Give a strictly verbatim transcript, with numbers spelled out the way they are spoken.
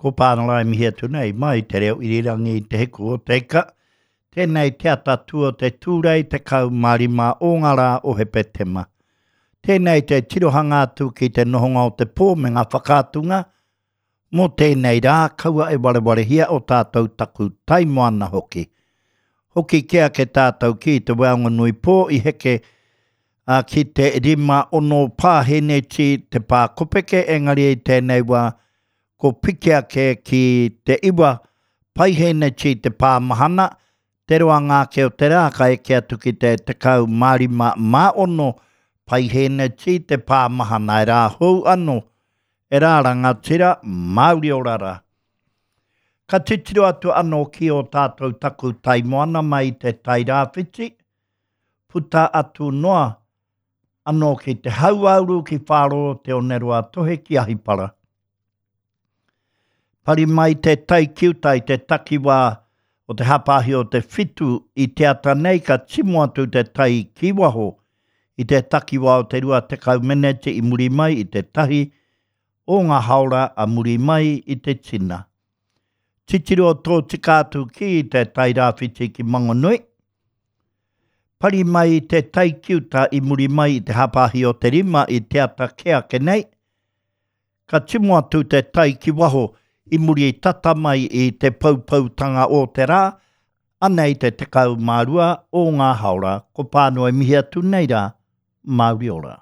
Ko Pānara e mihi atu nei mai te reo irirangi i Te Hiku o Te Ika. Tēnei te atatū o te Tūrei tekau mā rima o ngā rā o Hepetema. Tēnei te tirohanga atu ki te nohonga o te pō me ngā whakaatunga mō tēnei rā, kaua e warewarehia o tātou taku tai moana hoki. Hoki kē ake tātou ki te Weaonganui pō i heke a, ki te rima ono pāheneti te pā kopeke, engari i tēnei wā ko piki ake ki te iwa paiheneti te pā mahana, te roanga ake o te rā ka eke atu ki te tekau mā rima mā ono paiheneti te pā mahana e rā hou anō, e rā rangatira, Māori ora rā. Ka titiro atu anō ki ō tātou taku tai moana mai i te tai rāwhiti, puta atu noa anō ki te hauāuru ki Whāroro te Oneroa Tohe ki Ahipara. Pari mai te tai ki uta i te takiwā o te hapāhi o te whitu i te ata nei ka timo atu te tai ki waho i te takiwā o te rua tekau meneti i muri mai i te tahi o ngā haora a muri mai i te tina. Titiro tōtika atu ki te tai rāwhiti ki Mangonui. Pari mai te tai ki uta i muri mai i te hapāhi o te rima i te ata kē ake nei, ka timo atu te tai ki waho i muri tata mai i te poupoutanga o te rā, anei te tekau mā rua o ngā haora, ko Pānui mihi atu nei rā, Māori ora.